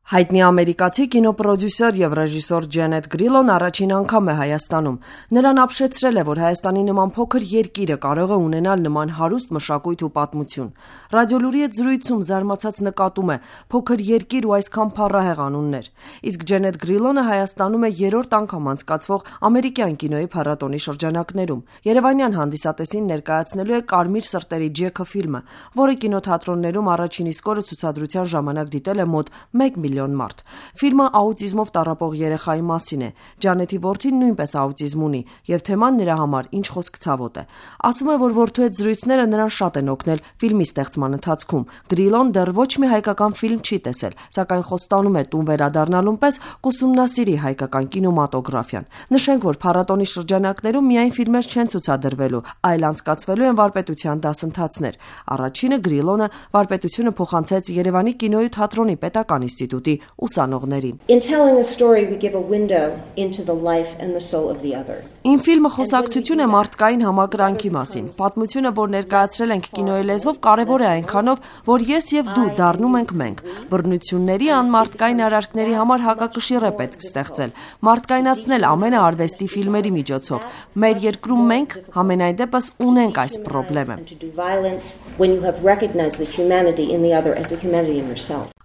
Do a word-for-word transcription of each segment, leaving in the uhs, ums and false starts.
Հայտնի ամերիկացի կինոպրոդյուսեր եւ ռեժիսոր Ջենեթ Գրիլոն առաջին անգամ է Հայաստանում։ Նրան ապշեցրել է, որ Հայաստանի նման փոքր երկիրը կարող է ունենալ նման հարուստ մշակույթ ու պատմություն։ Ռադիոլուրի հետ զրույցում զարմացած նկատում է՝ փոքր երկիր ու այսքան փառահեղ անուններ։ Իսկ Ջենեթ Գրիլոնը Հայաստանում է երրորդ անգամ անցկացվող ամերիկյան կինոյի փառատոնի շրջանակներում։ Երևանյան հանդիսատեսին ներկայացնելու է Կարմիր սրտերի Ջեքը ֆիլմը, որը կինոթատրոններում առաջին իսկ օրը ցուցադրության ժամանակ դիտել է մոտ մեկ միլիոն մարդ։ Ֆիլմը աուտիզմով տառապող երեխայի մասին է։ Ջանեթի որդին նույնպես աուտիզմ ունի, եւ թեման նրա համար ինչ խոսք ցավոտ է։ Ասում է, որ որդու հետ զրույցները նրան շատ են օգնել ֆիլմի ստեղծման ընթացքում։ Գրիլոն դեռ ոչ մի հայկական ֆիլմ չի տեսել, սակայն խոստանում է տուն վերադառնալուն պես կուսումնասիրի հայկական կինեմատոգրաֆիան։ Նշենք, որ փառատոնի շրջանակներում միայն ֆիլմեր չեն ցուցադրվելու, այլ անցկացվելու են վարպետության դասընթացներ։ Առաջինը Գրիլոնը վարպետությունը փոխանցեց Երևանի կինոյի թատրոնի պետական ինստիտուտի ուսանողներին։ In telling a story we give a window into the life and the soul of the other. Ին ֆիլմը խոսակցություն է մարդկային համակրանքի մասին։ Պատմությունը, որ ներկայացրել ենք կինոյի լեզվով, կարևոր է այնքանով, որ ես եւ դու դառնում ենք մենք։ Բռնությունների անմարդկային արարքների համար հակակշիռ է պետք ստեղծել, մարդկայնացնել ամենը արվեստի ֆիլմերի միջոցով։ Մեր երկրում մենք համենայն դեպս ունենք այս խնդրեմը։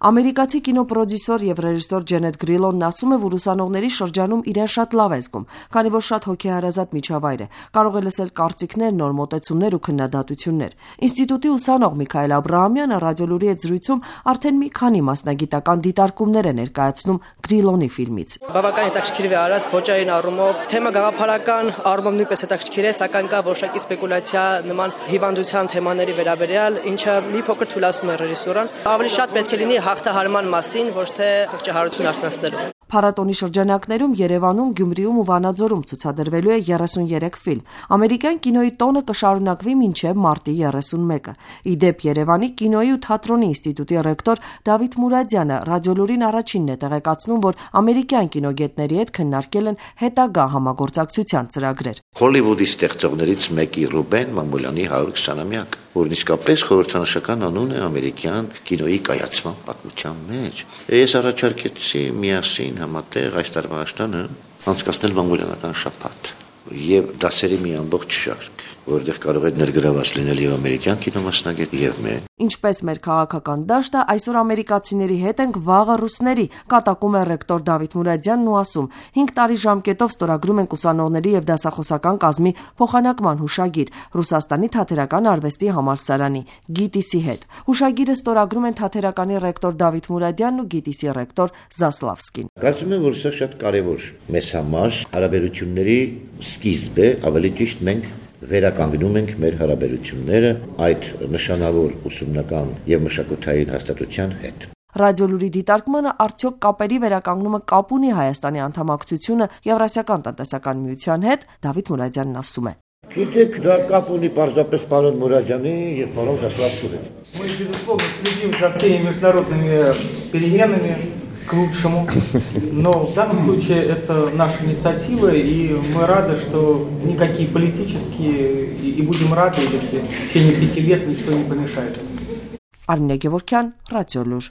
Ամերիկացի կինոպրոդյուսեր եւ ռեժիսոր Ջենեթ Գրիլոնն ասում է, որ ուսանողների շրջանում իրեն շատ լավ է զգում, քանի որ շատ հոգեհարազատ միջավայր է, կարող է լսել կարծիքներ, նոր մոտեցումներ ու քննադատություններ։ Ինստիտուտի ուսանող Միքայել Աբրահամյանը ռադիոլուրի հետ զրույցում արդեն մի քանի մասնագիտական դիտարկումներ է ներկայացնում Գրիլոնի ֆիլմից։ Բավական հետաքրքիր է արած ոճային առումով, թեմա գաղափարական առումով նույնպես հետաքրքիր է, սակայն կա որոշակի սպեկուլյացիա նման հիվանդության թեմաների վերաբերյալ, ինչը մի փոքր թուլացնում է ռեժիսուրան։ Ավելի շատ պետք է լինի հաղթահարման մասին, ոչ թե խղճահարություն արտնասնելու։ Փառատոնի շրջանակներում Երևանում, Գյումրիում ու Վանաձորում ցուցադրվելու է երեսունյերեք ֆիլմ։ Ամերիկյան կինոյի տոնը կշարունակվի մինչև մարտի երեսունմեկը։ Ի դեպ Երևանի կինոյի ու թատրոնի ինստիտուտի ռեկտոր Դավիթ Մուրադյանը ռադիոլուրին առաջինն է տեղեկացնում, որ ամերիկյան կինոգետների հետ քննարկել են հետագա համագործակցության ծրագրեր։ Հոլիվուդի ստեղծողներից մեկի Ռուբեն Մամուլյանի հարյուր քսանամյակ, որն իսկապես խորհրդանշական անուն է ամերիկյան կինոյի կայացման պատմության մեջ։ Ես առաջարկեցի միասին համատեղ այս տարվա աշտանը անցկացնել մանգոլյանական շաբաթ եւ դասերի մի ամբողջ շարք, որտեղ կարող է ներգրաված լինել եւ ամերիկյան կինոմասնագետ եւ մենք։ Ինչպես մեր քաղաքական դաշտը, այսօր ամերիկացիների հետ ենք, վաղը ռուսների, կատակում է ռեկտոր Դավիթ Մուրադյանն ու ասում. հինգ տարի ժամկետով ստորագրում ենք ուսանողների եւ դասախոսական կազմի փոխանակման հուշագիր Ռուսաստանի թատերական արվեստի համալսարանի գիտիսի հետ։ Հուշագիրը ստորագրում են թատերականի ռեկտոր Դավիթ Մուրադյանն ու գիտիսի ռեկտոր Զասլավսկին։ Կարծում եմ, որ սա շատ կարևոր մեզ համար հարաբերությունների սկիզբ է, ավելի ճիշտ մենք վերականգնում ենք մեր հարաբերությունները այդ նշանավոր ուսումնական եւ մշակութային հաստատության հետ։ Ռադիոլուրի դիտարկմանը արդյոք կապերի վերականգնումը կապ ունի Հայաստանի անդամակցությունը Եվրասիական տնտեսական միության հետ, Դավիթ Մուրադյանն ասում է։ Գիտեք, դա կապ ունի պարզապես պարոն Մուրադյանի եւ պարոն Զասլավսկի հետ։ Мы, безусловно, следим за всеми международными переменами к лучшему, но в данном случае это наша инициатива, и мы рады, что никакие политические, и будем рады, если в течение пяти лет ничто не помешает. Արմինե Գևորգյան, Ռադիոլուր։